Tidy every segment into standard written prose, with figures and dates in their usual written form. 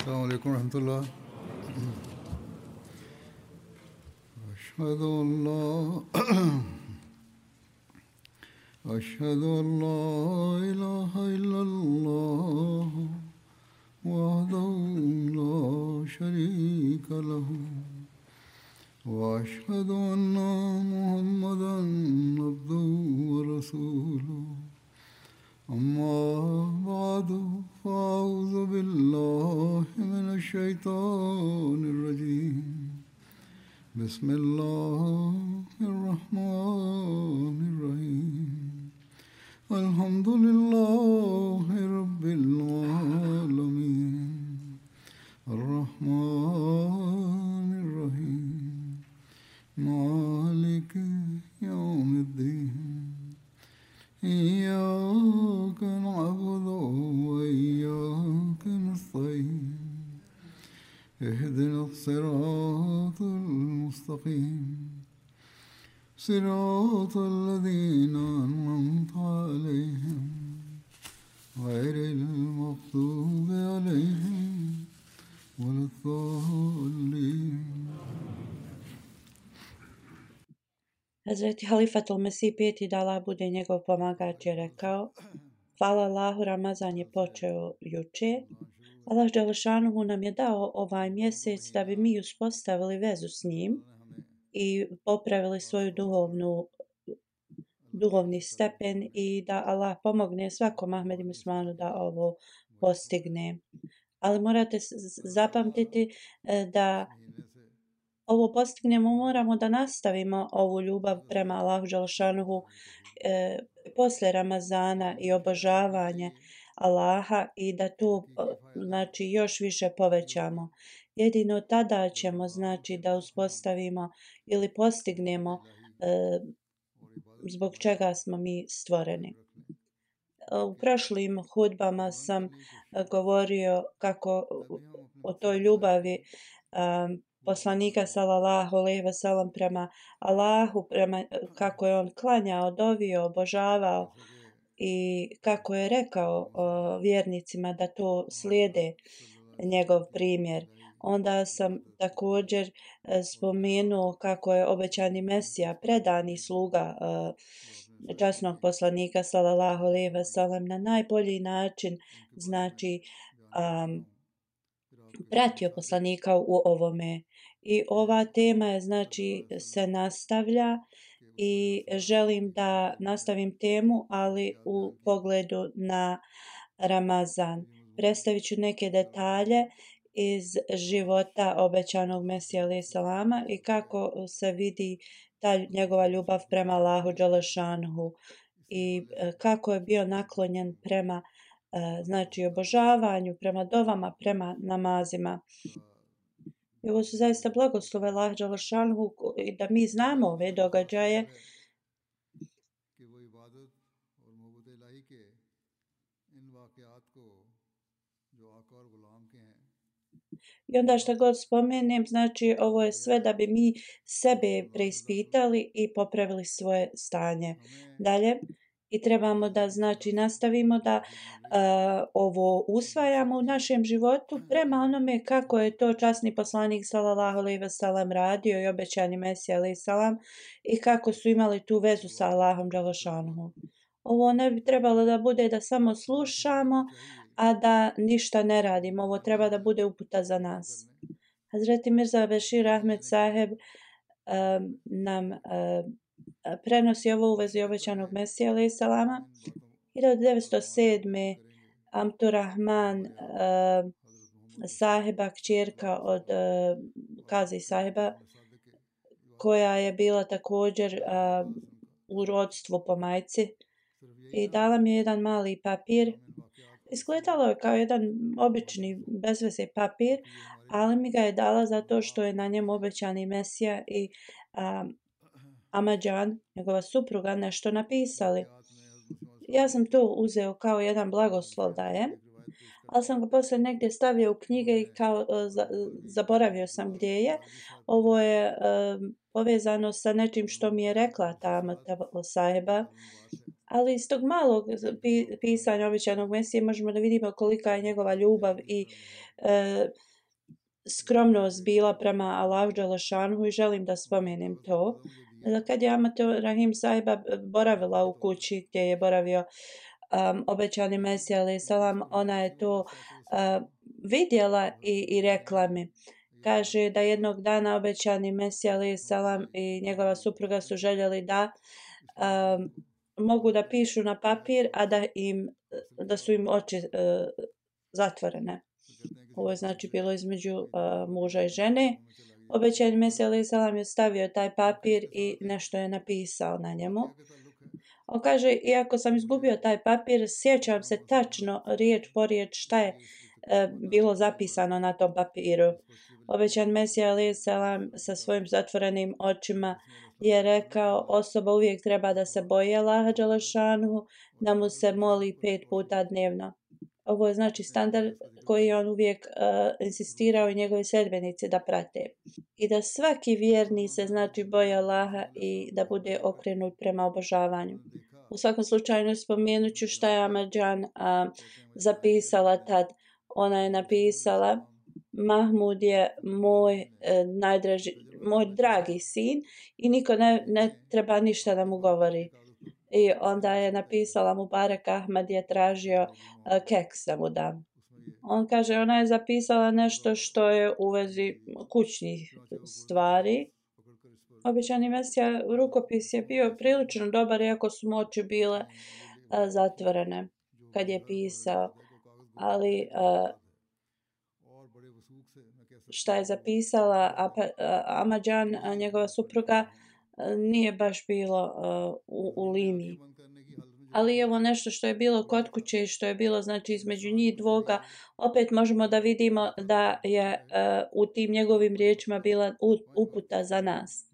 السلام عليكم ورحمة الله. أشهد أن لا إله إلا الله وحده لا شريك له وأشهد أن محمدا عبده ورسوله أما بعد فأعوذ بالله من الشيطان الرجيم بسم الله الرحمن الرحيم الحمد لله رب العالمين الرحمن الرحيم مالك يوم الدين إياك نعبد وإياك نستعين اهدنا الصراط المستقيم صراط الذين أنعمت عليهم غير المغضوب عليهم ولا الضالين. Hazreti Halifatul Mesih peti da Allah bude njegov pomagač je rekao: Hvala Allahu, Ramazan je počeo juče. Allah dželešanuhu nam je dao ovaj mjesec da bi mi uspostavili vezu s njim i popravili svoju duhovni stepen i da Allah pomogne svakom Ahmedu muslimanu da ovo postigne. Ali morate zapamtiti da ovo postignemo, moramo da nastavimo ovu ljubav prema Allahu dželešanuhu posle Ramazana i obožavanje Allaha i da to znači još više povećamo. Jedino tada ćemo znači da uspostavimo ili postignemo zbog čega smo mi stvoreni. U prošlim hudbama sam govorio kako o toj ljubavi poslanika sallallahu alejhi ve sellem prema Allahu, kako je on klanjao, dovio, obožavao i kako je rekao vjernicima da to slijede njegov primjer. Onda sam također spomenuo kako je obećani Mesija, predani sluga časnog poslanika sallallahu alejhi ve sellem na najbolji način znači pratio poslanika u ovome. I ova tema je znači se nastavlja i želim da nastavim temu, ali u pogledu na Ramazan. Predstavit ću neke detalje iz života obećanog Mesija alejhi selama i kako se vidi ta njegova ljubav prema Allahu dželešanuhu i kako je bio naklonjen prema znači obožavanju, prema dovama, prema namazima. I ovo su zaista blagoslove Allaha dželešanuhu i da mi znamo ove događaje. I onda što god spomenem, znači ovo je sve da bi mi sebe preispitali i popravili svoje stanje. Dalje, i trebamo da znači nastavimo da ovo usvajamo u našem životu prema onome kako je to časni poslanik sallallahu alejhi ve sellem radio i obećani Mesija alejhi selam i kako su imali tu vezu sa Allahom dželešanuhu. Ovo ne bi trebalo da bude da samo slušamo, a da ništa ne radimo. Ovo treba da bude uputa za nas. Hazreti Mirza Bešir Ahmed Saheb nam prenosi ovo u vezi obećanog Mesija alejhi selama. 1907. Amturrahman Saheba, kćerka od Kazi Saheba, koja je bila također u rodstvu po majci, i dala mi je jedan mali papir. Izgledalo je kao jedan obični bezveze papir, ali mi ga je dala zato što je na njemu obećani Mesija i Amadžan, njegova supruga, nešto napisali. Ja sam to uzeo kao jedan blagoslov da je, ali sam ga posle negdje stavio u knjige i kao zaboravio sam gdje je. Ovo je povezano sa nečim što mi je rekla ta Saheba, Ali iz tog malog pisanja obećanog Mesije možemo da vidimo kolika je njegova ljubav i skromnost bila prema Allahu dželešanhu i želim da spomenem to. Kad je Amat Rahim sahiba boravila u kući gdje je boravio obećani Mesija alejhi selam, ona je to vidjela i rekla mi. Kaže da jednog dana obećani Mesija alejhi selam i njegova supruga su željeli da mogu da pišu na papir, a da su im oči zatvorene. Ovo je znači bilo između muža i žene. Obećani Mesija alejhi selam je stavio taj papir i nešto je napisao na njemu. On kaže, iako sam izgubio taj papir, sjećam se tačno riječ po riječ šta je bilo zapisano na tom papiru. Obećan Mesija alejhi selam sa svojim zatvorenim očima je rekao, osoba uvijek treba da se boji Allaha dželešanhu, da mu se moli 5 puta dnevno. Ovo je znači standard koji je on uvijek insistirao i njegovi sljedbenici da prate. I da svaki vjerni se znači boji Allaha i da bude okrenut prema obožavanju. U svakom slučaju spomenut ću šta je Ahmadjan zapisala tad. Ona je napisala, Mahmud je moj moj dragi sin i niko ne treba ništa da mu govori. I onda je napisala Mubarak Ahmad je tražio keks da mu da. On kaže, ona je zapisala nešto što je u vezi kućnih stvari. Obećani Mesija rukopis je bio prilično dobar, iako su mu oči bile zatvorene kad je pisao. Ali šta je zapisala Ahmadjan, njegova supruga, nije baš bilo u liniji. Ali evo nešto što je bilo kod kuće i što je bilo znači između njih dvoga, opet možemo da vidimo da je u tim njegovim riječima bila uputa za nas.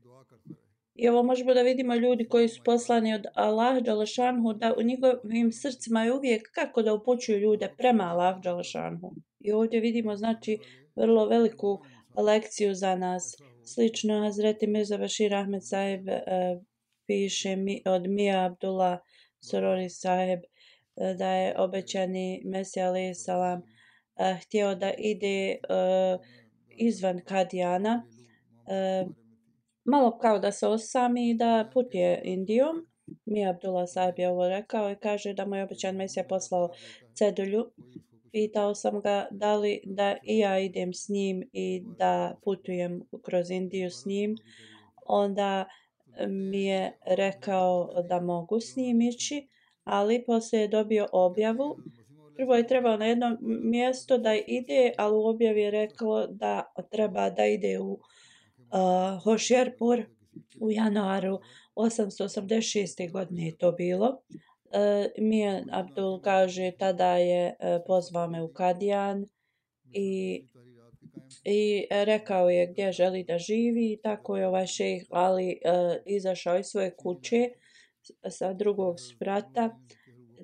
I ovo možemo da vidimo ljudi koji su poslani od Allaha dželešanhu, da u njihovim srcima je uvijek kako da upućuju ljude prema Allahu dželešanhu. I ovdje vidimo znači vrlo veliku lekciju za nas. Slično Hazreti Mirza Bashir Ahmed sahib piše od Mija Abdullah Sorori sahib da je obećani Mesija alejhi selam htio da ide izvan Kadijana, malo kao da se osami i da putuje Indijom. Mija Abdullah sahib je ovo rekao i kaže da mu je obećan Mesija poslao cedulju. Pitao sam ga da li da i ja idem s njim i da putujem kroz Indiju s njim. Onda mi je rekao da mogu s njim ići, ali poslije je dobio objavu. Prvo je trebao na jedno mjesto da ide, ali u objavi je reklo da treba da ide u Hošjerpur u januaru 886. godine je to bilo. Mija Abdul kaže, tada je pozvao me u Kadijan i rekao je gdje želi da živi. I tako je ovaj šejh Ali izašao iz svoje kuće sa drugog sprata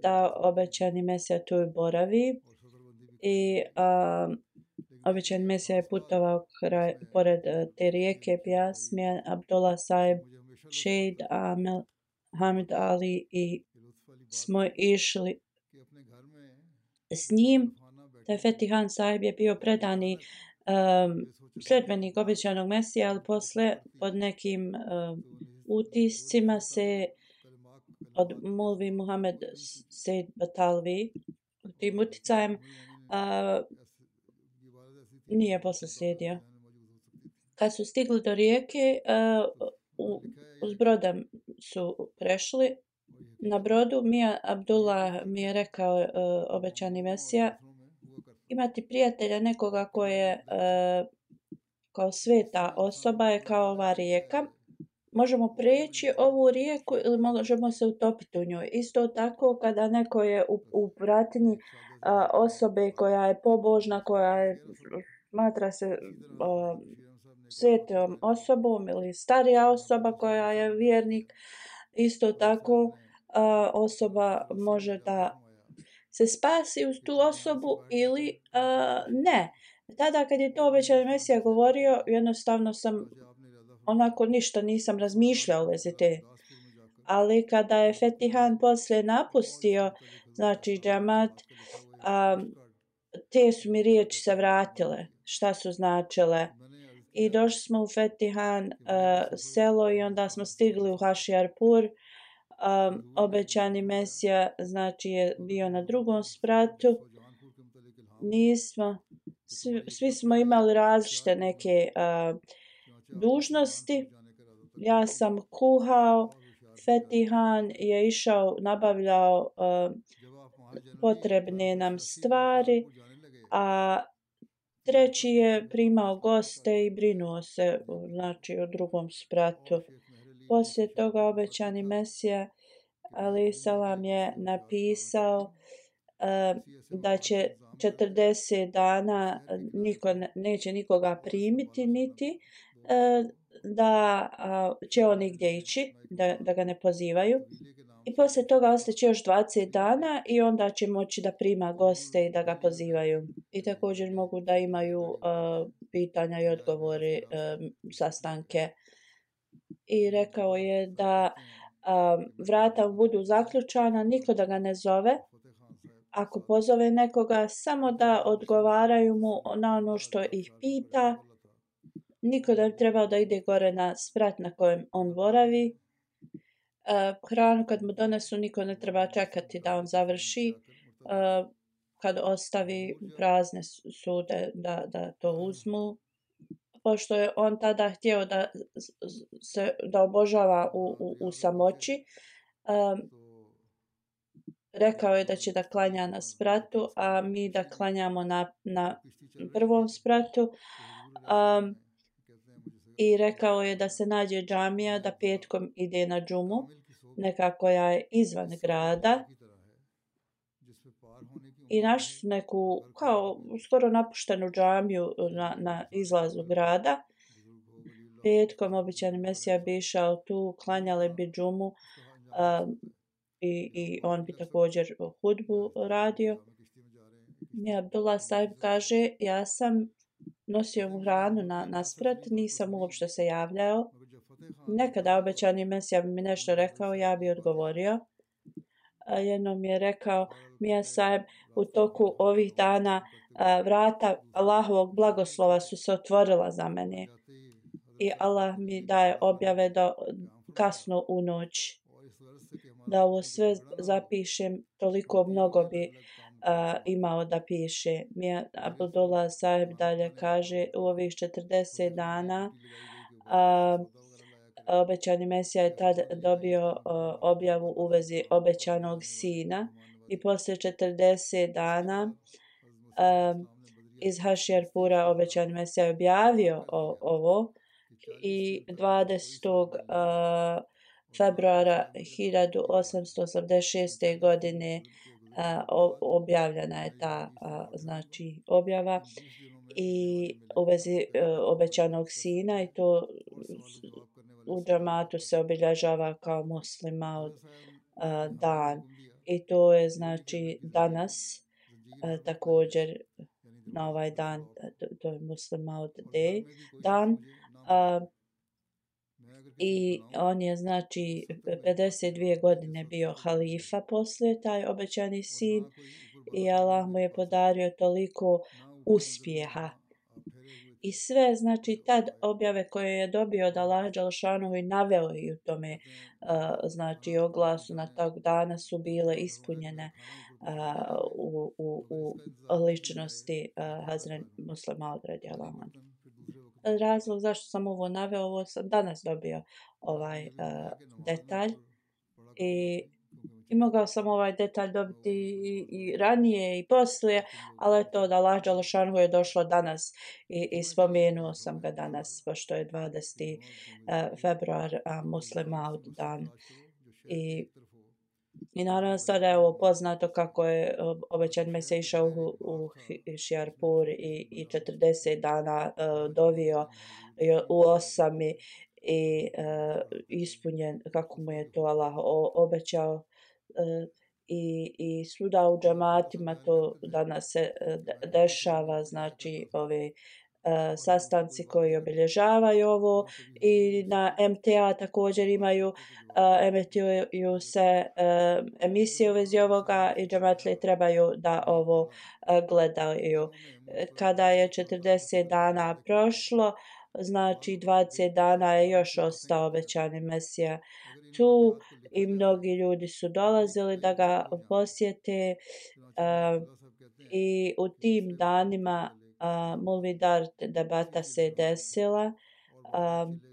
da obećani Mesija tu boravi. I obećani Mesija je putovao pored te rijeke Bjas. Mija Abdullah sahib, Šejid Hamid Ali i smo išli s njim. Taj Fetihan sahib je bio predani sljedbenik obećanog Mesija, ali posle pod nekim utiscima se od Mulvi Muhammed Sejd Batalvi tim uticajem nije posle slijedio. Kad su stigli do rijeke, uz brodom su prešli. Na brodu Mija Abdullah mi je rekao obećani Mesija, imati prijatelja nekoga ko je kao sveta osoba je kao ova rijeka. Možemo preći ovu rijeku ili možemo se utopiti u njoj. Isto tako kada neko je u pratnji osobe koja je pobožna, koja je smatra se svetom osobom ili starija osoba koja je vjernik, isto tako osoba može da se spasi uz tu osobu ili ne. Tada kad je to obećani Mesija govorio, jednostavno sam onako ništa nisam razmišljao u vezi te Ali kada je Fetihan poslije napustio, znači džemat, te su mi riječi se vratile, šta su značile. I došli smo u Fetihan selo i onda smo stigli u Hašjarpur. Obećani Mesija znači je bio na drugom spratu. Svi smo imali različite neke dužnosti. Ja sam kuhao, Fetihan je išao, nabavljao potrebne nam stvari, a treći je primao goste i brinuo se, znači, o drugom spratu. Poslije toga obećani Mesija alejhi selam je napisao da će 40 dana neće nikoga primiti, niti da će on nigdje ići, da ga ne pozivaju. I poslije toga ostaće još 20 dana i onda će moći da prima goste i da ga pozivaju. I također mogu da imaju pitanja i odgovore, sastanke. I rekao je da vrata budu zaključana, niko da ga ne zove. Ako pozove nekoga, samo da odgovaraju mu na ono što ih pita. Niko da treba da ide gore na sprat na kojem on boravi. Hranu kad mu donesu, niko ne treba čekati da on završi. Kad ostavi prazne sude da to uzmu. Pošto je on tada htio da obožava u samoći, rekao je da će da klanja na spratu, a mi da klanjamo na prvom spratu. I rekao je da se nađe džamija, da petkom ide na džumu, neka koja je izvan grada. I našli su neku kao skoro napuštenu džamiju na izlazu grada. Petkom obećani Mesija bi išao tu, klanjale bi džumu i on bi također hudbu radio. I Abdullah sahib kaže, ja sam nosio mu hranu na sprat, nisam uopšte se javljao. Nekada obećani Mesija bi mi nešto rekao, ja bi odgovorio. Jednom je rekao, Mija sahib, u toku ovih dana vrata Allahovog blagoslova su se otvorila za mene. I Allah mi daje objave kasno u noć. Da ovo sve zapišem, toliko mnogo bi imao da piše. Mija Abdullah sahib dalje kaže, u ovih 40 dana obećani Mesija je tad dobio objavu u vezi obećanog sina i poslije 40 dana iz Hašjarpura obećani Mesija je objavio ovo i 20. Februara 1886. godine objavljena je ta znači objava i u vezi obećanog sina i to u džamatu se obilježava kao muslima dan i to je znači danas također na ovaj dan to je muslima dan i on je znači 52 godine bio halifa poslije taj obećani sin i Allah mu je podario toliko uspjeha. I sve, znači, tad objave koje je dobio od Allaha dželešanohu i naveo i u tome, znači, oglasu na tog dana su bile ispunjene u ličnosti Hazret Muslima radijallahu anhu. Razlog zašto sam ovo naveo, ovo sam danas dobio ovaj detalj i mogao sam ovaj detalj dobiti i ranije i poslije, ali to da Allah dželešanohu je došlo danas i spomenuo sam ga danas, pošto je 20. februar Muslima dan. I naravno sada je ovo poznato kako je obećan Mesija išao u Hašjarpur i 40 dana dovio u osami i ispunjen kako mu je to Allah obećao. I svuda u džamatima to danas se dešava, znači ove sastanci koji obilježavaju ovo i na MTA također emituju se emisije u vezi ovoga i džematlije trebaju da ovo gledaju. Kada je 40 dana prošlo, znači 20 dana je još ostao obećani Mesija tu i mnogi ljudi su dolazili da ga posjete i u tim danima Mulvidar debata se desila,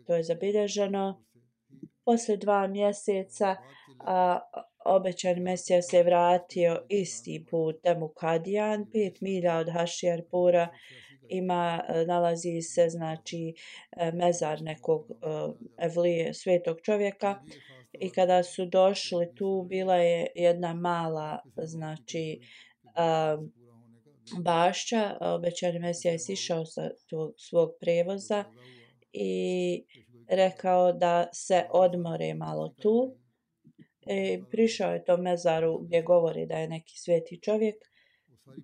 to je zabilježeno. Poslije 2 mjeseca obećani Mesija se vratio istim putem u Kadijan, 5 milja od Hašijarpura. Nalazi se znači mezar nekog evlije, svetog čovjeka i kada su došli tu bila je jedna mala znači bašća. Obećani Mesija je sišao sa svog prevoza i rekao da se odmore malo tu. Prišao je to mezaru gdje govori da je neki sveti čovjek.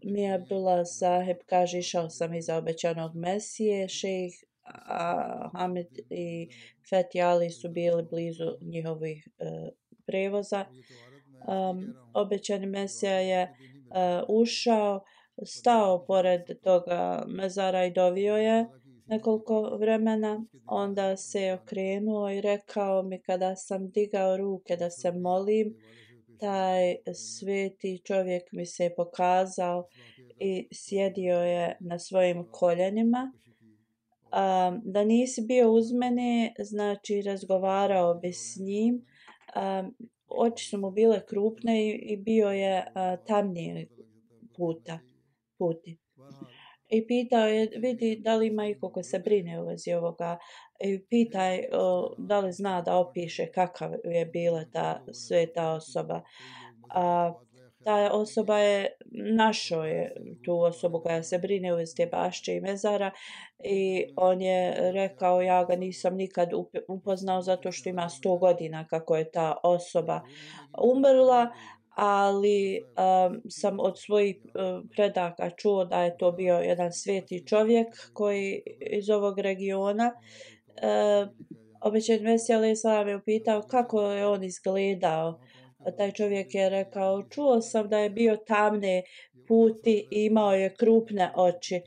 Mija Abdullah Saheb kaže, išao sam iza obećanog Mesije, šejh Hamid i Fethi Ali su bili blizu njihovih prevoza. Obećani Mesija je ušao, stao pored toga mezara i dovio je nekoliko vremena. Onda se okrenuo i rekao mi kada sam digao ruke da se molim, taj sveti čovjek mi se pokazao i sjedio je na svojim koljenima. Da nisi bio uz mene, znači razgovarao bi s njim. Oči su mu bile krupne i bio je tamnije puti. I pitao je, vidi da li ima iko ko se brine u vezi ovoga. I pitaj da li zna da opiše kakav je bila ta sveta osoba. Ta osoba je našao je tu osobu koja se brine u vezi te bašće i mezara i on je rekao ja ga nisam nikad upoznao zato što ima 100 godina kako je ta osoba umrla, ali sam od svojih predaka čuo da je to bio jedan sveti čovjek koji iz ovog regiona. Obećani Mesija alejhi selam je upitao kako je on izgledao. Taj čovjek je rekao, čuo sam da je bio tamne puti i imao je krupne oči.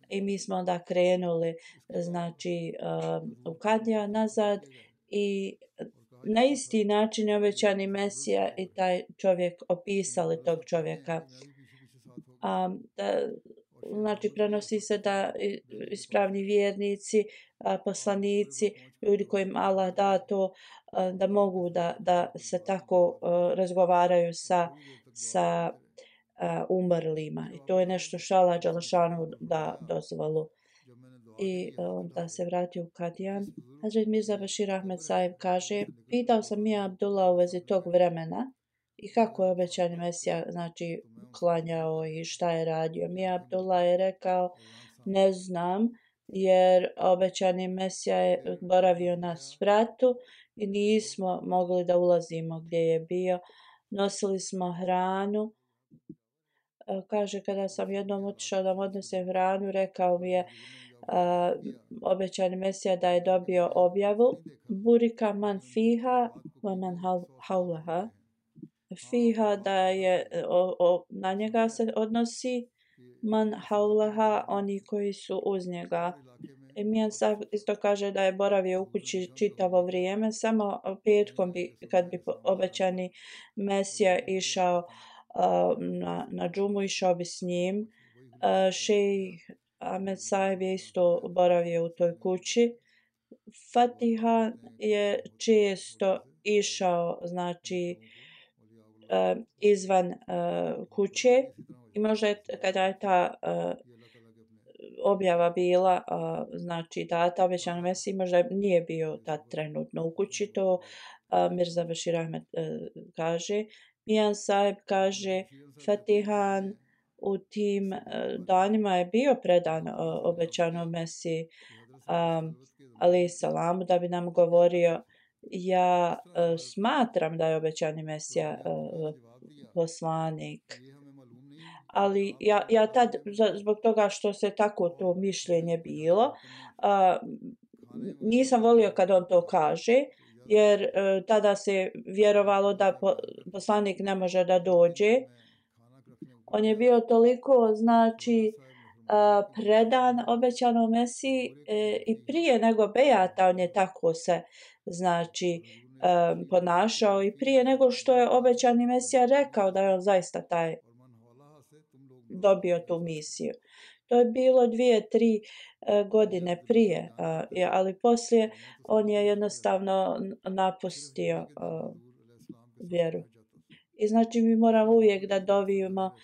I mi smo onda krenuli znači u Kadija nazad i na isti način je obećani Mesija i taj čovjek opisali tog čovjeka. Znači prenosi se da ispravni vjernici, poslanici, ljudi kojim Allah da to, da mogu da se tako razgovaraju sa umrlima. I to je nešto što Allah dželešanu da dozvolu. I da se vrati u Kadijan. Hazret Mirza Bashir Ahmed Sahib kaže, pitao sam Mija Abdullah u vezi tog vremena i kako je obećani Mesija znači klanjao i šta je radio. Mija Abdullah je rekao, ne znam, jer obećani Mesija je boravio na spratu i nismo mogli da ulazimo gdje je bio. Nosili smo hranu. Kaže, kada sam jednom otišao da mu odnesem hranu, rekao mi je obećani Mesija da je dobio objavu Burika man fiha wa man haulaha. Fiha da je na njega se odnosi, man haulaha oni koji su uz njega. Mijan isto kaže da je boravio u kući čitavo vrijeme, samo petkom kad bi obećani Mesija išao na džumu, išao bi s njim. Šejh Ahmed Sahib je isto boravio u toj kući. Fatiha je često išao znači izvan kuće i možda kada je ta objava bila znači data obećanom Mesiji, možda nije bio tad trenutno u kući. To Mirza Bashir Ahmed kaže. Mijan Sahib kaže, Fatihan u tim danima je bio predan obećanom Mesiji alejhi selam da bi nam govorio, ja smatram da je obećani Mesija poslanik, ali ja tad zbog toga što se tako to mišljenje bilo, nisam volio kad on to kaže, jer tada se vjerovalo da poslanik ne može da dođe. On je bio toliko, znači, predan obećanom Mesiji i prije nego bejata on je tako se, znači, ponašao i prije nego što je obećani Mesija rekao da je on zaista taj dobio tu misiju. To je bilo 2-3 godine prije, ali poslije on je jednostavno napustio vjeru. I znači mi moramo uvijek da dovimo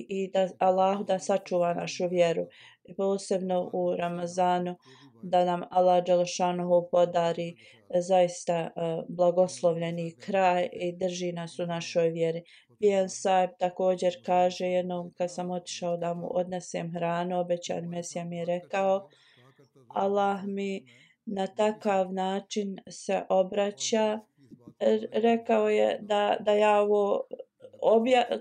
i da Allah da sačuva našu vjeru. I posebno u Ramazanu da nam Allah dželešanohu podari zaista blagoslovljeni kraj i drži nas u našoj vjeri. Bijan Saib također kaže jednom kad sam otišao da mu odnesem hranu, obećani Mesija mi je rekao Allah mi na takav način se obraća. Rekao je da ja ovo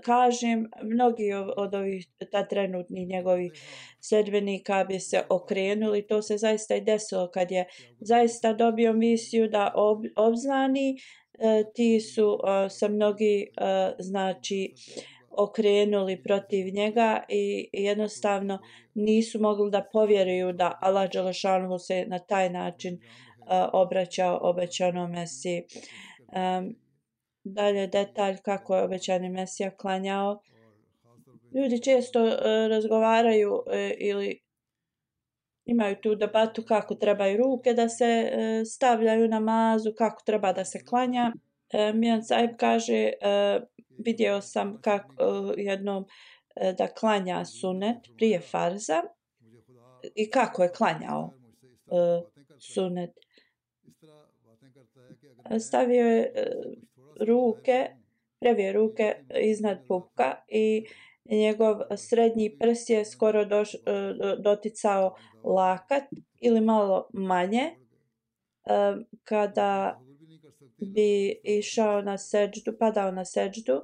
kažem, mnogi od ovih trenutnih njegovih sledbenika bi se okrenuli. To se zaista i desilo kad je zaista dobio misiju da obznani. Ti su se mnogi znači okrenuli protiv njega i jednostavno nisu mogli da povjeruju da Allah dželešanohu se na taj način obraćao obećanom Mesiji. Dalje detalj kako je obećani Mesija klanjao. Ljudi često razgovaraju ili imaju tu debatu kako trebaju ruke da se stavljaju na namazu, kako treba da se klanja. Mijan Saib kaže vidio sam kako jednom da klanja sunet prije farza i kako je klanjao sunet. Stavio je ruke, previje ruke iznad pupka i njegov srednji prst je skoro doticao lakat ili malo manje. Kada bi išao na seđdu, padao na seđdu,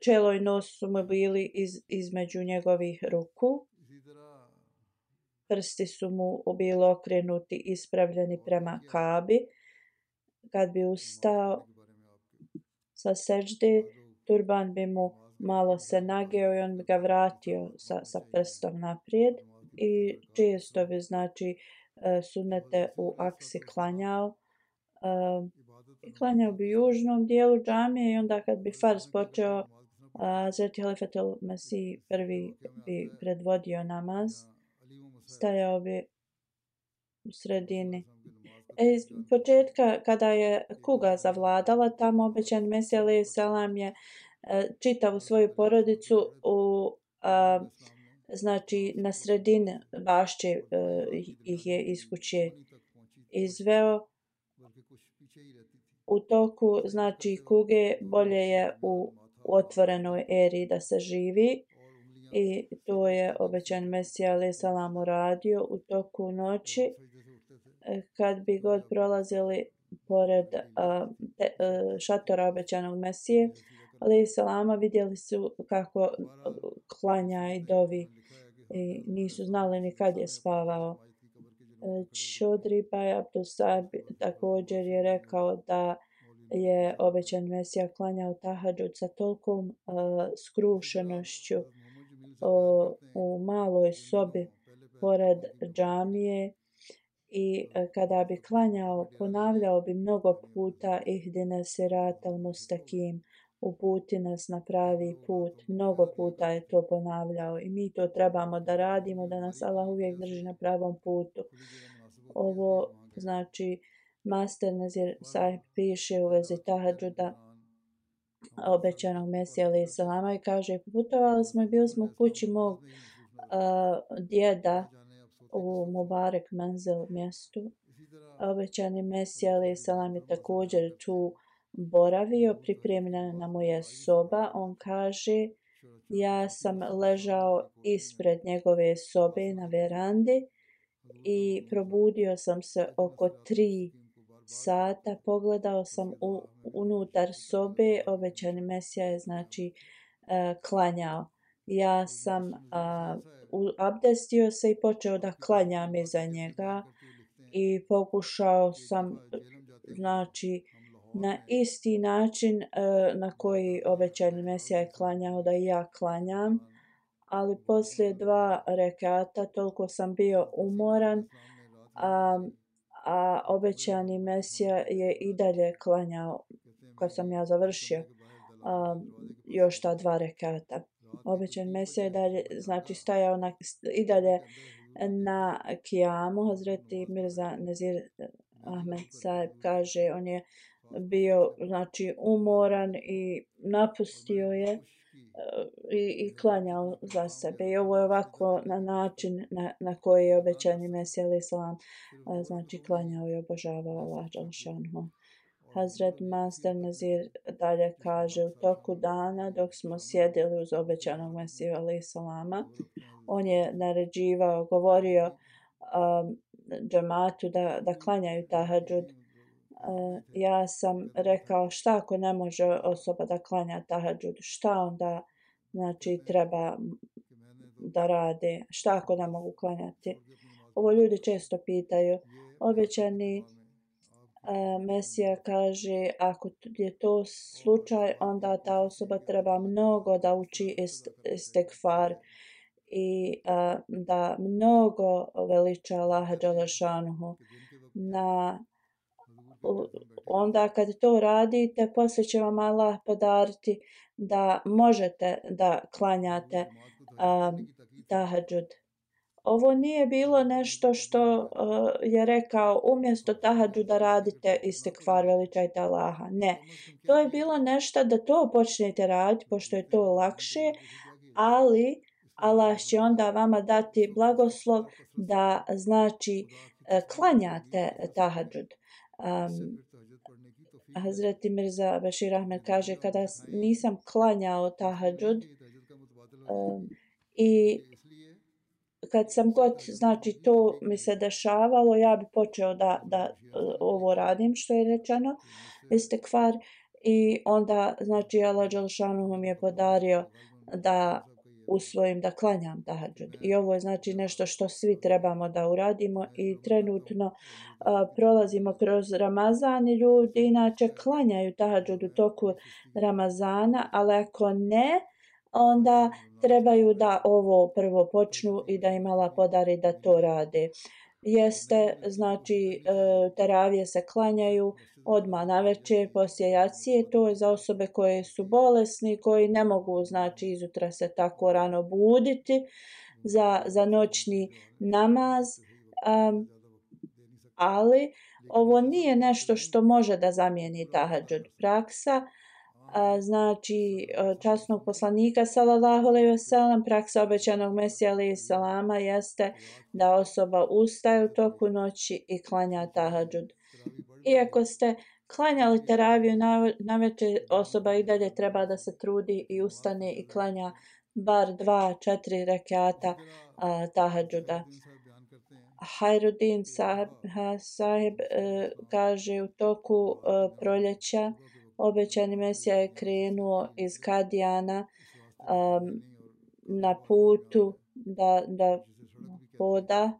čelo i nos su mu bili između njegovih ruku. Prsti su mu bili okrenuti, ispravljeni prema Kabi. Kad bi ustao sa seđde, turban bi mu malo se nageo i on bi ga vratio sa prstom naprijed. I često bi, znači, sunete u aksi klanjao. I klanjao bi u južnom dijelu džamije i onda kad bi farz počeo, Hazreti Halifatul Mesih prvi bi predvodio namaz. Stajao bi u sredini. Iz početka kada je kuga zavladala, tamo obećani Mesija alejhi selam je čitavu svoju porodicu znači na sredini bašće ih je iz kuće izveo. U toku, znači, kuge bolje je u otvorenoj eri da se živi i to je obećani Mesija alejhi selam uradio u toku noći. Kad bi god prolazili pored šatora obećanog Mesije alejhi selama, vidjeli su kako klanja i dovi i nisu znali ni kad je spavao. Chaudhry Bhai Abdul Saib također je rekao da je obećani Mesija klanjao tahadžud sa tolkom skrušenošću u maloj sobi pored džamije i kada bi klanjao ponavljao bi mnogo puta ihdine siratal mustakim, uputi nas na pravi put. Mnogo puta je to ponavljao i mi to trebamo da radimo, da nas Allah uvijek drži na pravom putu. Ovo, znači, Master Nazir Sahib piše u vezi tahadžuda obećanog Mesija alejhi selama i kaže: putovali smo i bili smo u kući mog djeda u Mubarak Manzil mjestu. Obećani Mesija alejhi selam je također tu boravio, pripremljena mu je soba. On kaže: ja sam ležao ispred njegove sobe na verandi i probudio sam se oko 3 sata. Pogledao sam unutar sobe, obećani Mesija je, znači, klanjao. ja sam abdestio se i počeo da klanjam iza njega i pokušao sam znači na isti način na koji obećani Mesija je klanjao da i ja klanjam, ali poslije 2 rekata toliko sam bio umoran, a obećani Mesija je i dalje klanjao kad sam ja završio još ta 2 rekata. Obećani Mesija je dalje, znači stajao i dalje na kijamu. Hazreti Mirza Nazir Ahmed Saheb kaže, on je bio znači umoran i napustio je i klanjao za sebe. I ovo je ovako na način na koji je obećani Mesija alejhi selam znači klanjao i obožavao Allah dželle šanuhu. Hazret Master Nazir dalje kaže, u toku dana dok smo sjedili uz obećanog Mesiju alejhi selama, on je naređivao, govorio džematu da klanjaju tahadžud. Ja sam rekao, šta ako ne može osoba da klanja tahadžud, šta onda znači treba da rade, šta ako ne mogu klanjati. Ovo ljudi često pitaju. Obećani Mesija kaže, ako je to slučaj, onda ta osoba treba mnogo da uči istigfar i da mnogo veliča Allaha dželle šanuhu. Onda kad to radite, poslije će vam Allah podariti da možete da klanjate tahadžud. Ovo nije bilo nešto što je rekao umjesto tahadžuda radite istigfar, veličajte Allaha. Ne. To je bilo nešto da to počnete raditi pošto je to lakše, ali Allah će onda vama dati blagoslov da znači klanjate tahadžud. Hazreti Mirza Bashir Ahmed kaže, kada nisam klanjao tahadžud i kad sam god znači to mi se dešavalo, ja bi počeo da ovo radim što je rečeno, istigfar, i onda znači Allah dželle šanuhu mi je podario da usvojim da klanjam tahadžud. I ovo je znači nešto što svi trebamo da uradimo i trenutno prolazimo kroz Ramazan i ljudi inače klanjaju tahadžud u toku Ramazana, ali ako ne, onda trebaju da ovo prvo počnu i da im Allah podari da to rade. Jeste, znači teravije se klanjaju odmah navečer poslije jacije, to je za osobe koje su bolesni, koji ne mogu znači izutra se tako rano buditi za noćni namaz, ali ovo nije nešto što može da zamijeni tahadžud. Praksa znači časnog poslanika sallallahu alejhi ve sellem, praksa obećanog Mesija alejhi selama jeste da osoba ustaje u toku noći i klanja tahadžud. Iako ste klanjali teraviju navečer, osoba i dalje treba da se trudi i ustane i klanja bar 2-4 rekata tahadžuda. Hajruddin Sahib kaže, u toku proljeća obećani Mesija je krenuo iz Kadijana na putu da hoda.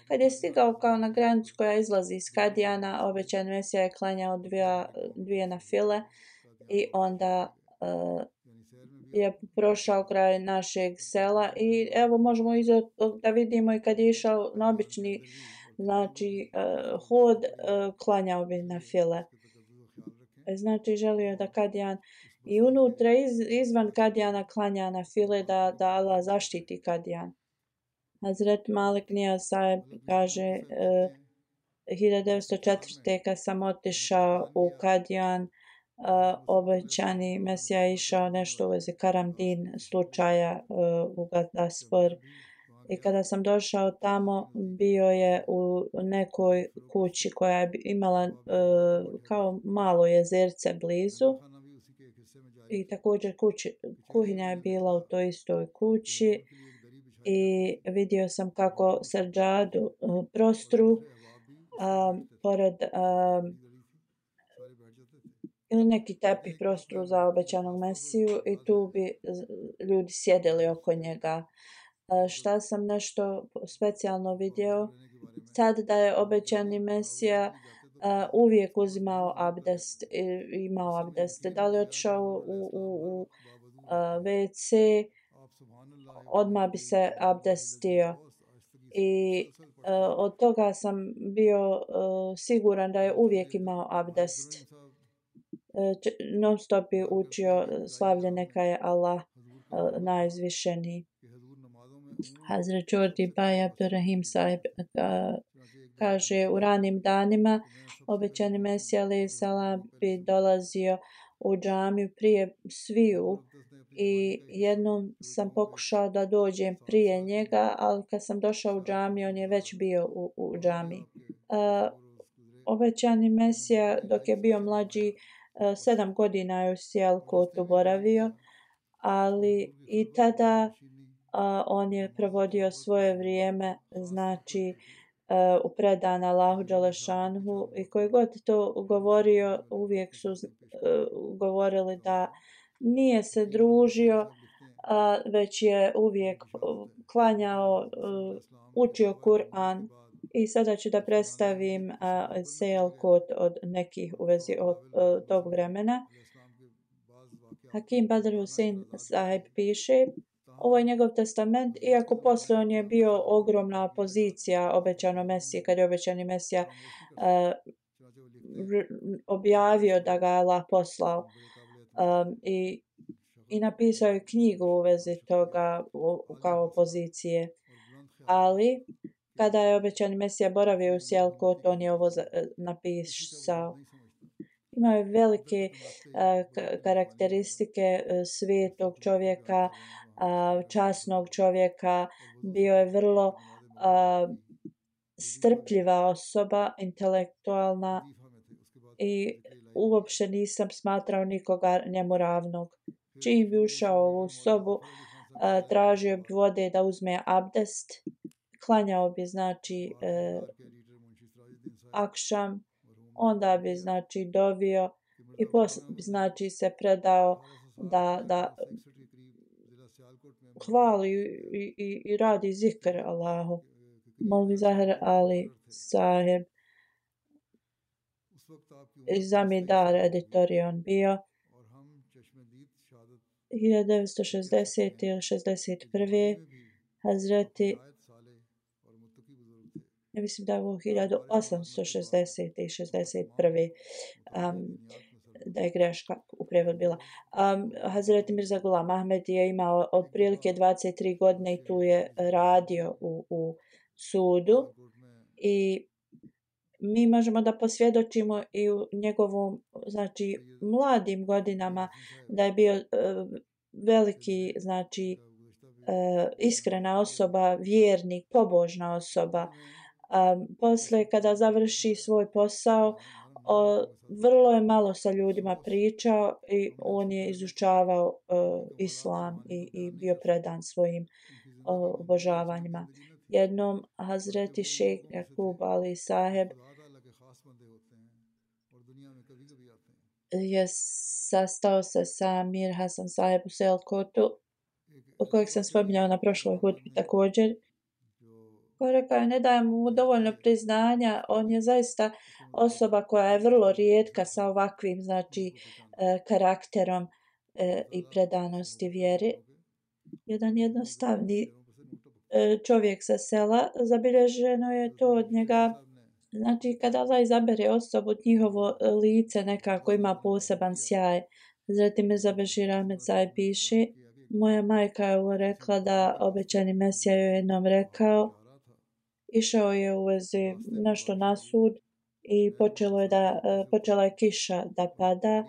Kad je stigao kao na granicu koja izlazi iz Kadijana, obećani Mesija je klanjao 2 nafile i onda je prošao kraj našeg sela i evo možemo da vidimo i kad je išao na obični znači hod, klanjao bi nafile. Znači želio da Kadijan i unutra izvan Kadijana klanja nafile, da Allah zaštiti Kadijan. Hazret Malik Niyaz Saheb kaže 1904. kad sam otišao u Kadijan, obećani Mesija je išao nešto u vezi Karamdin slučaja u Gadaspor. I kada sam došao tamo, bio je u nekoj kući koja je imala kao malo jezerce blizu. I također kuhinja je bila u toj istoj kući. I vidio sam kako srdžadu prostru pored ili neki tepih prostoru za obećanog Mesiju i tu bi ljudi sjedili oko njega. Šta sam nešto specijalno vidio? Tad da je obećani Mesija uvijek uzimao abdest, imao abdest. Da li je otišao u WC, odmah bi se abdestio. I od toga sam bio siguran da je uvijek imao abdest. Non stop je učio slavlje neka je Allah najizvišeniji. Hazret Jordi Baj Abdurrahim Sahib kaže u ranim danima obećani Mesija alejhi selam bi dolazio u džamiju prije sviju i jednom sam pokušao da dođem prije njega, ali kad sam došao u džamiju on je već bio u džamiji. Obećani Mesija dok je bio mlađi 7 godina je u Sijalkotu boravio, ali i tada on je provodio svoje vrijeme, znači predan Allahu dželešanhu i koji god to govorio uvijek su govorili da nije se družio, već je uvijek klanjao, učio Kur'an. I sada ću da predstavim Sijalkot od nekih u vezi od tog vremena. Hakim Badr Hussein Sahib piše, ovo je njegov testament, iako posle on je bio ogromna opozicija obećanom Mesiji, kad je obećani Mesija objavio da ga je Allah poslao i napisao je knjigu u vezi toga kao opozicije. Ali kada je obećani Mesija boravio u Sijalkotu, on je ovo napisao. Imao je velike karakteristike svetog čovjeka, časnog čovjeka, bio je vrlo strpljiva osoba, intelektualna i uopće nisam smatrao nikoga njemu ravnog. Čim bi ušao u ovu sobu, tražio bi vode da uzme abdest, klanjao bi znači akšam, onda bi znači dovio i posle bi znači se predao da hvali i radi zikr Allahu. Molvi Zahir Ali Sahib iz Zamidar editorion bio 1960. ili 61. Hazreti, ja mislim da je ovo 1860. i 61. Da je greška u prevod bila. Hazreti Mirza Ghulam Ahmed je imao otprilike 23 godine i tu je radio u sudu i mi možemo da posvjedočimo i u njegovom znači mladim godinama da je bio veliki znači iskrena osoba, vjernik, pobožna osoba. Posle kada završi svoj posao vrlo je malo sa ljudima pričao i on je izučavao islam i bio predan svojim obožavanjima. Jednom Hazreti Šejh Jakub Ali Saheb je sastao se sa Mir Hasan Saheb u Sijalkotu, kojeg sam spominjao na prošloj hutbi također. Ko rekao, ne dajem mu dovoljno priznanja, on je zaista osoba koja je vrlo rijetka sa ovakvim znači karakterom i predanosti vjeri. Jedan jednostavni čovjek sa sela, zabilježeno je to od njega, znači kada Allah izabere osobu, njihovo lice nekako ima poseban sjaj. Zatim Mirza Bešir Ahmed Sahib piše, moja majka je rekla da obećani Mesija joj jednom rekao, išao je u vezi nešto na sud i počela je kiša da pada.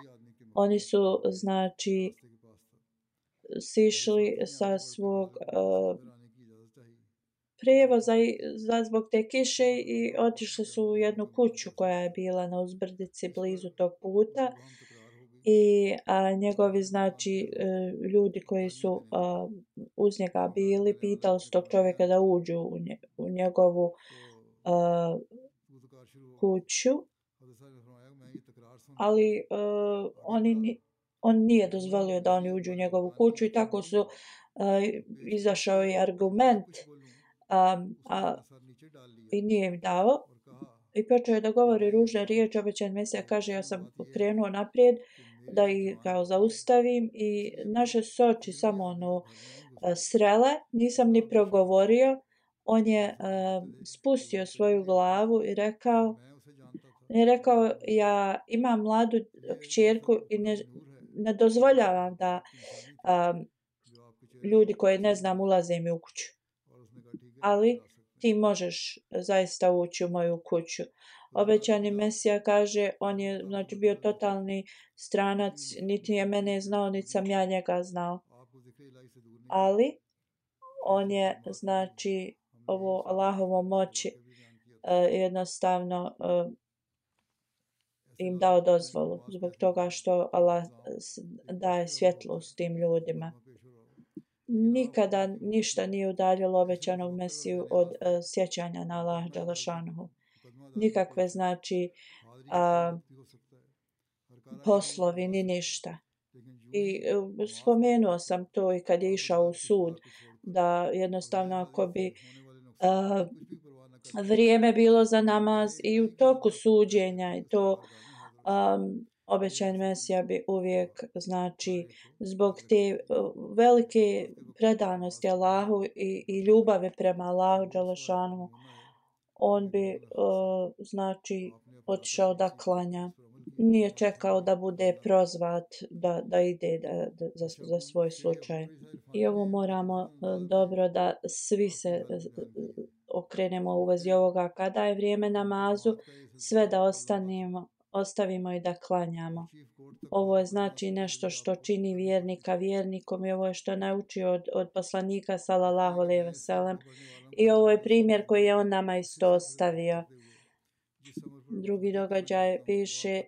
Oni su znači sišli sa svog prijevoza zbog te kiše i otišli su u jednu kuću koja je bila na uzbrdici blizu tog puta i njegovi znači ljudi koji su uz njega bili pitali su tog čovjeka da uđu u njegovu kuću ali on nije dozvolio da oni uđu u njegovu kuću i tako su izašao i argument i nije im dao. I počeo je da govori ružne riječi, obećani Mesija kaže ja sam krenuo naprijed da ih kao zaustavim i naše su oči samo srele, nisam ni progovorio. On je spustio svoju glavu i rekao ja imam mladu kćerku i ne dozvoljavam da ljudi koje ne znam ulaze mi u kuću. Ali ti možeš zaista ući u moju kuću. Obećani Mesija kaže, on je znači bio totalni stranac, niti je mene znao, niti sam ja njega znao. Ali on je znači ovo Allahovo moći jednostavno im dao dozvolu zbog toga što Allah daje svjetlost tim ljudima. Nikada ništa nije udaljilo obećanog Mesiju od sjećanja na Allah dželešanuhu. Nikakve znači poslovi ni ništa. I spomenuo sam to i kad je išao u sud da jednostavno ako bi vrijeme bilo za namaz i u toku suđenja i to obećani Mesija bi uvijek znači zbog te velike predanosti Allahu i ljubave prema Allahu dželešanu on bi znači otišao da klanja. Nije čekao da bude prozvat da ide za svoj slučaj. I ovo moramo dobro da svi se okrenemo u vezi ovoga kada je vrijeme namazu, sve da ostavimo i da klanjamo. Ovo je znači nešto što čini vjernika vjernikom i ovo je što naučio od poslanika sallallahu alejhi ve sellem. I ovo je primjer koji je on nama isto ostavio. Drugi događaj piše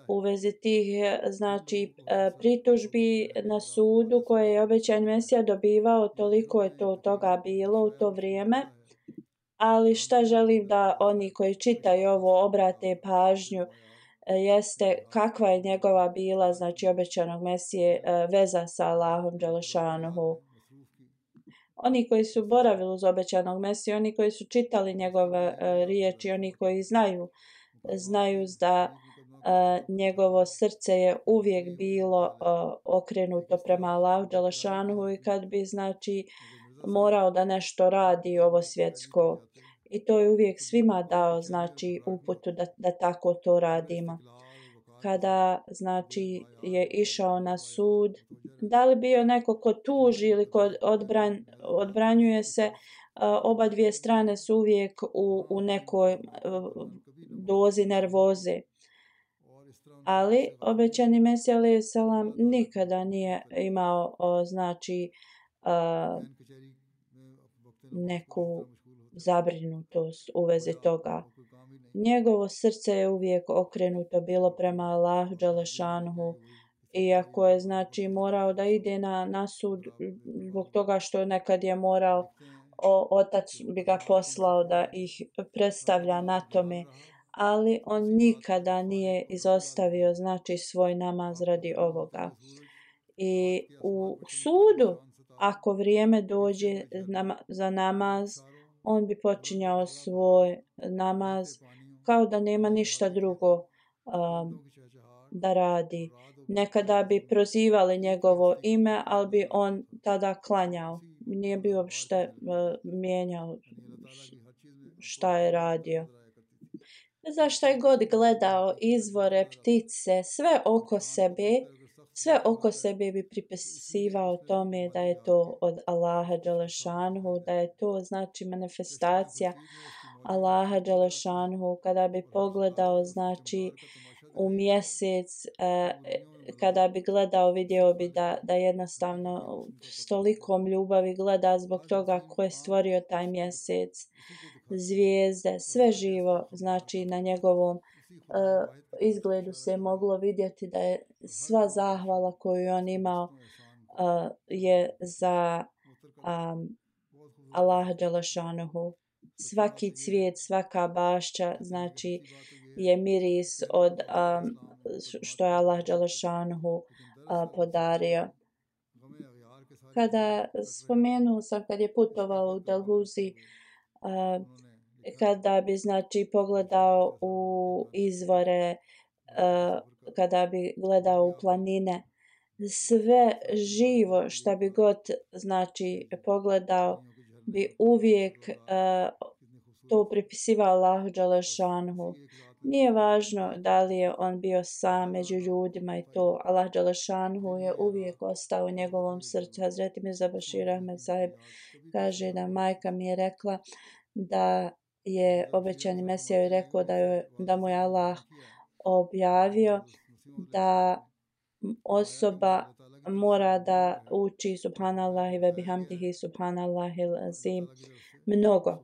u vezi tih znači pritužbi na sudu koje je obećani Mesija dobivao, toliko je toga bilo u to vrijeme. Ali šta želim da oni koji čitaju ovo obrate pažnju jeste kakva je njegova bila, znači obećanog Mesije, veza sa Allahom dželešanuhu. Oni koji su boravili uz obećanog Mesiju, oni koji su čitali njegove riječi, oni koji znaju da njegovo srce je uvijek bilo okrenuto prema Allahu dželešanuhu i kad bi znači morao da nešto radi ovo svjetsko. I to je uvijek svima dao znači uputu da tako to radimo. Kada znači je išao na sud, da li bio neko ko tuži ili ko odbranjuje se, oba dvije strane su uvijek u nekoj dozi nervoze. Ali obećani Mesija alejhi selam nikada nije imao znači neku zabrinutost u vezi toga. Njegovo srce je uvijek okrenuto bilo prema Allahu dželešanuhu. Iako je znači morao da ide na sud zbog toga što nekad je morao, otac bi ga poslao da ih predstavlja na tome, ali on nikada nije izostavio znači svoj namaz radi ovoga. I u sudu, ako vrijeme dođe za namaz, on bi počinjao svoj namaz kao da nema ništa drugo da radi. Nekada bi prozivali njegovo ime, ali bi on tada klanjao. Nije bi uopšte mijenjao šta je radio. Zašto je god gledao izvore, ptice, sve oko sebe bi pripisivao tome da je to od Allaha dželešanuhu, da je to znači manifestacija Allaha dželešanuhu. Kada bi pogledao znači u mjesec, kada bi gledao, vidio bi da jednostavno s tolikom ljubavi gleda zbog toga ko je stvorio taj mjesec, zvijezde, sve živo, znači na njegovom izgledu se moglo vidjeti da je sva zahvala koju on imao je za Allaha dželešanuhu. Svaki cvijet, svaka bašća, znači je miris od što je Allah dželešanuhu podario. Kada spomenuo sam kad je putovao u Dalhuzi, kada bi znači pogledao u izvore, kada bi gledao u planine, sve živo što bi god znači pogledao bi uvijek to pripisivao Allahu dželešanuhu. Nije važno da li je on bio sam među ljudima i to. Allah dželešanuhu je uvijek ostao u njegovom srcu. Hazreti Mirza Bashir Ahmed Sahib kaže da majka mi je rekla da je obećani Mesija joj rekao da mu je Allah objavio da osoba mora da uči subhanallahi ve bihamdihi subhanallahil azim mnogo.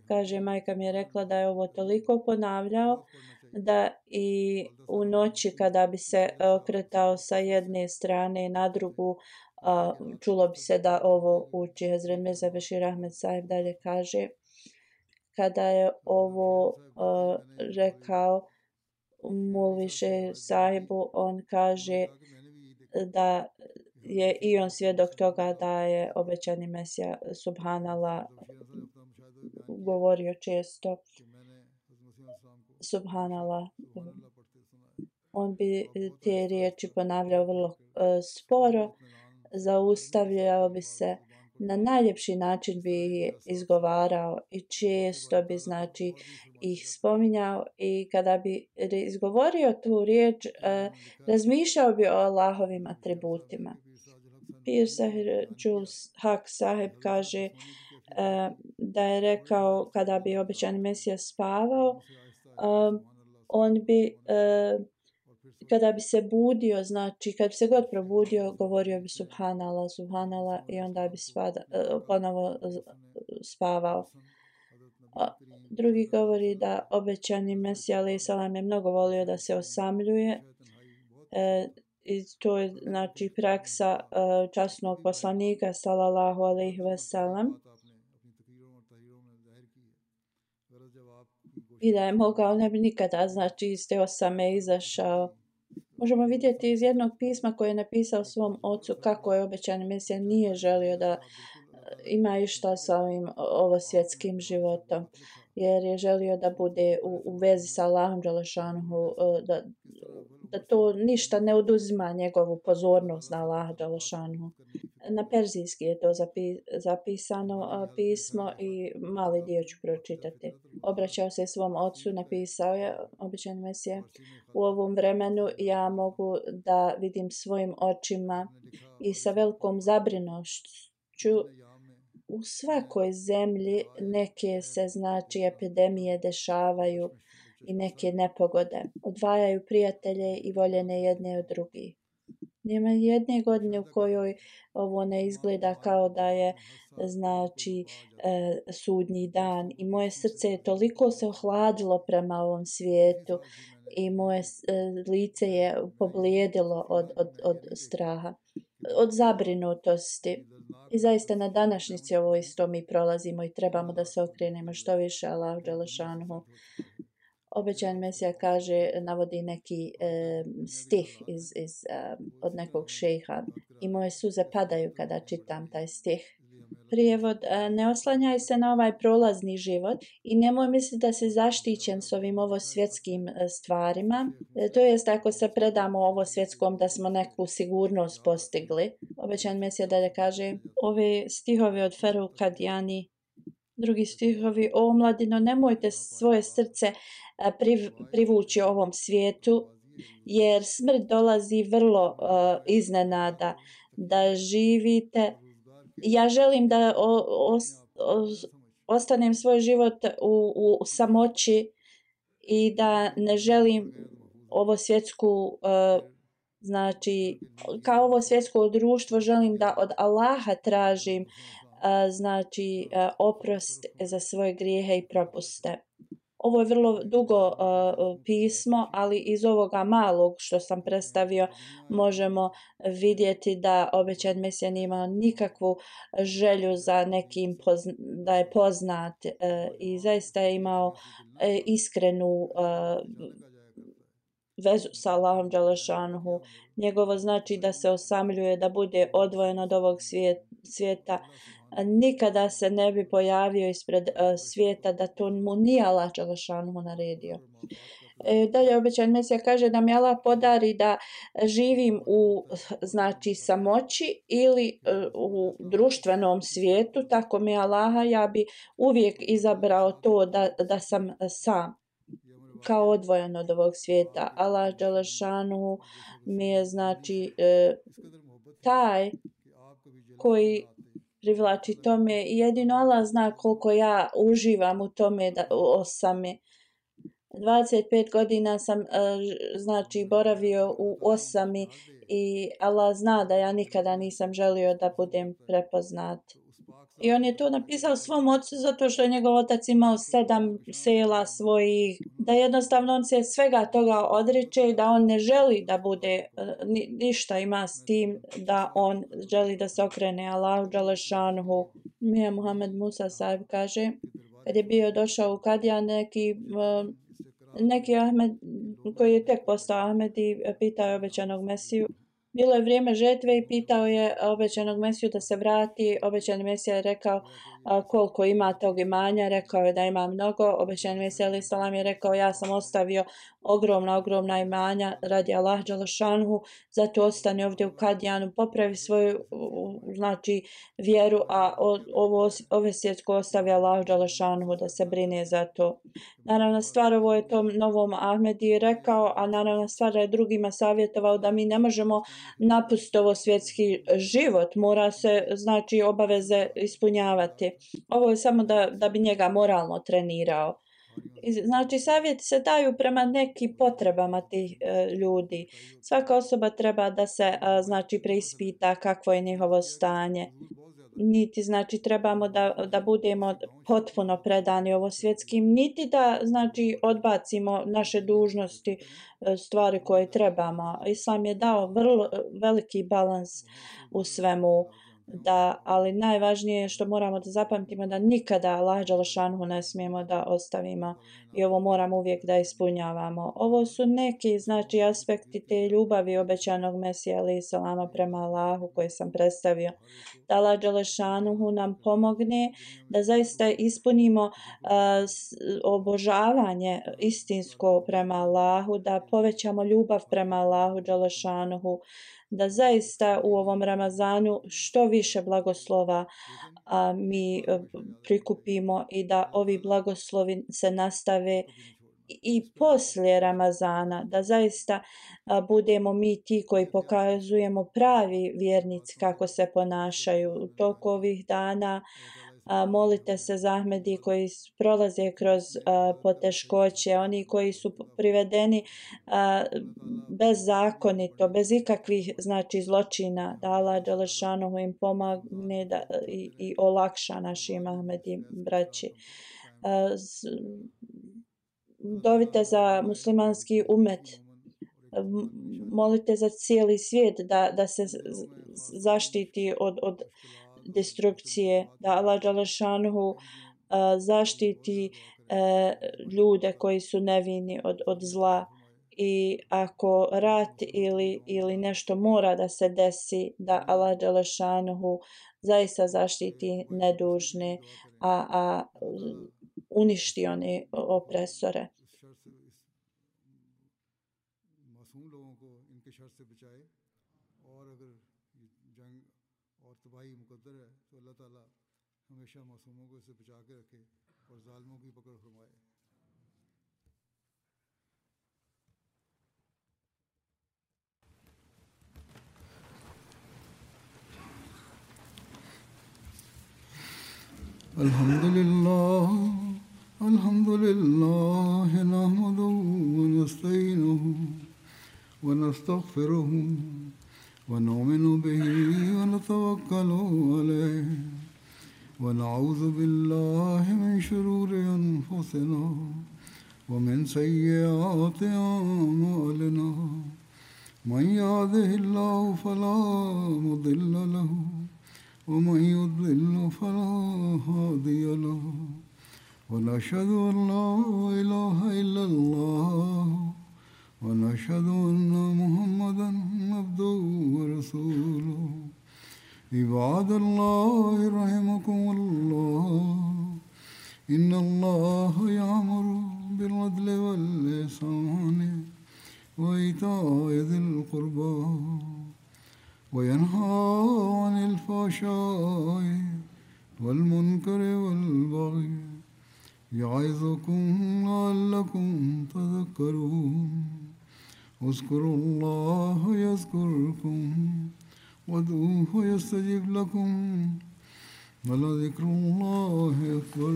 Kaže, majka mi je rekla da je ovo toliko ponavljao da i u noći kada bi se okretao sa jedne strane na drugu, čulo bi se da ovo uči. Hazret Mirza Bashir Ahmed Sahib dalje kaže, kada je ovo rekao Mulviše sahibu, on kaže da je i on svjedok toga da je obećani Mesija subhanallah govorio često subhanallah. On bi te riječi ponavljao vrlo sporo, zaustavljao bi se, na najljepši način bi izgovarao i često bi znači ih spominjao i kada bi izgovorio tu riječ, razmišljao bi o Allahovim atributima. Pir Sahir Jules Haq Sahib kaže da je rekao kada bi obećani Mesija spavao, on bi kada bi se budio, znači kad bi se god probudio, govorio bi subhanallah, subhanallah i onda bi ponovo spavao. Drugi govori da obećani Mesija alejhi selam je mnogo volio da se osamljuje. I to je znači praksa časnog poslanika sallallahu alejhi ve sellem. I da je mogao, ne bi nikada znači iz te osame izašao. Možemo vidjeti iz jednog pisma koje je napisao svom ocu kako je obećani Mesija nije želio da ima išta sa ovim ovosvjetskim životom, jer je želio da bude u vezi sa Allahom dželešanuhu, da to ništa ne oduzima njegovu pozornost na Allaha dželešanuhu. Na perzijski je to zapisano pismo i mali dio ću pročitati. Obraćao se svom ocu, napisao je obećani Mesija: u ovom vremenu ja mogu da vidim svojim očima i sa velikom zabrinutošću u svakoj zemlji neke se znači epidemije dešavaju i neke nepogode. Odvajaju prijatelje i voljene jedne od drugih. Nema jedne godine u kojoj ovo ne izgleda kao da je znači sudnji dan i moje srce je toliko se ohladilo prema ovom svijetu i moje lice je poblijedilo od straha, od zabrinutosti. I zaista na današnjici ovo isto mi prolazimo i trebamo da se okrenemo što više Allahu dželešanuhu. Obećani Mesija kaže, navodi neki stih od nekog šejha i moje suze padaju kada čitam taj stih. Prijevod: ne oslanjaj se na ovaj prolazni život i nemoj misliti da si zaštićen s ovim ovosvjetskim stvarima. To jest ako se predamo ovosvjetskom da smo neku sigurnost postigli. Obećani Mesija dalje kaže, ove stihove od Ferruh Kadijani, drugi stihovi: o mladino, nemojte svoje srce privući ovom svijetu, jer smrt dolazi vrlo iznenada. Da živite, ja želim da ostanem svoj život u samoći i da ne želim ovo svjetsku znači kao ovo svjetsko društvo, želim da od Allaha tražim znači oprost za svoje grijehe i propuste. Ovo je vrlo dugo pismo, ali iz ovoga malog što sam predstavio možemo vidjeti da obećan Mesija nije imao nikakvu želju za nekim da je poznat i zaista je imao iskrenu vezu sa Allahom dželešanuhu. Njegovo znači da se osamljuje, da bude odvojen od ovog svijeta. Nikada se ne bi pojavio ispred svijeta da to mu nije Allah dželešanuhu naredio. Dalje obećan Mesija kaže da mi Allah podari da živim u znači samoći ili u društvenom svijetu, tako mi Allaha, ja bi uvijek izabrao to da sam sam, kao odvojen od ovog svijeta. Allah dželešanuhu mi je znači taj koji privlači tome i jedino Allah zna koliko ja uživam u tome da osami. 25 godina sam znači boravio u osami i Allah zna da ja nikada nisam želio da budem prepoznat. I on je to napisao svom ocu zato što je njegov otac imao 7 sela svojih, da jednostavno on se svega toga odriče i da on ne želi da bude ništa ima s tim, da on želi da se okrene Allahu dželešanuhu. Mija Muhammed Musa sahib kaže, kad je bio došao u Kadija neki Ahmed koji je tek postao Ahmed i pitao je obećanog Mesiju. Bilo je vrijeme žetve i pitao je obećanog Mesiju da se vrati. Obećani Mesija je rekao koliko ima tog imanja, rekao je da ima mnogo. Obećani Mesija alejhi selam je rekao ja sam ostavio ogromna imanja radi Allah dželešanuhu, zato ostani ovdje u Kadijanu, popravi svoju znači vjeru, a ove svjetsko ostavi Allah dželešanuhu da se brine za to. Naravno stvar ovo je tom novom Ahmedi rekao, a naravno stvar je drugima savjetovao da mi ne možemo napustiti ovo svjetski život, mora se znači obaveze ispunjavati. Ovo je samo da bi njega moralno trenirao. Znači savjeti se daju prema nekim potrebama tih ljudi. Svaka osoba treba da se znači preispita kakvo je njihovo stanje. Niti znači trebamo da budemo potpuno predani ovo svjetskim, niti da znači odbacimo naše dužnosti, stvari koje trebamo. Islam je dao vrlo veliki balans u svemu. Ali najvažnije je što moramo da zapamtimo da nikada Allah dželešanuhu ne smijemo da ostavimo i ovo moramo uvijek da ispunjavamo. Ovo su neki znači aspekti te ljubavi obećanog Mesija alejhi selama prema Allahu koje sam predstavio. Da Allah dželešanuhu nam pomogne da zaista ispunimo obožavanje istinsko prema Allahu, da povećamo ljubav prema Allahu dželešanuhu, da zaista u ovom Ramazanu što više blagoslova mi prikupimo i da ovi blagoslovi se nastave i poslije Ramazana, da zaista budemo mi ti koji pokazujemo pravi vjernici kako se ponašaju u toku ovih dana. Molite se za Ahmedi koji prolaze kroz poteškoće, oni koji su privedeni bezakonito, bez ikakvih znači zločina, da Allah dželešanuhu im pomogne i olakša našim Ahmedi braći. Dovite za muslimanski umet, molite za cijeli svijet da se zaštiti od destrukcije, da Allah dželešanuhu zaštiti ljude koji su nevini od zla. I ako rat ili nešto mora da se desi, da Allah dželešanuhu zaista zaštiti nedužne, a uništi one opresore. Alhamdulillah nahmaduhu wa nasta'inuhu wa nastaghfiruhu wa nu'minu bihi wa natawakkalu alayhi wa na'udhu billahi min shururi anfusina ومن سيئات أعمالنا من يهده الله فلا مضل له ومن يضلل فلا هادي له ونشهد أن لا إله إلا الله ونشهد أن محمدا عبده ورسوله عباد الله رحمكم الله إن الله يأمر بالعدل والإحسان وإيتاء ذي القربى وينهى عن الفحشاء والمنكر والبغي يعظكم لعلكم تذكرون اذكروا الله يذكركم وادعوه يستجب لكم ولذكر الله أكبر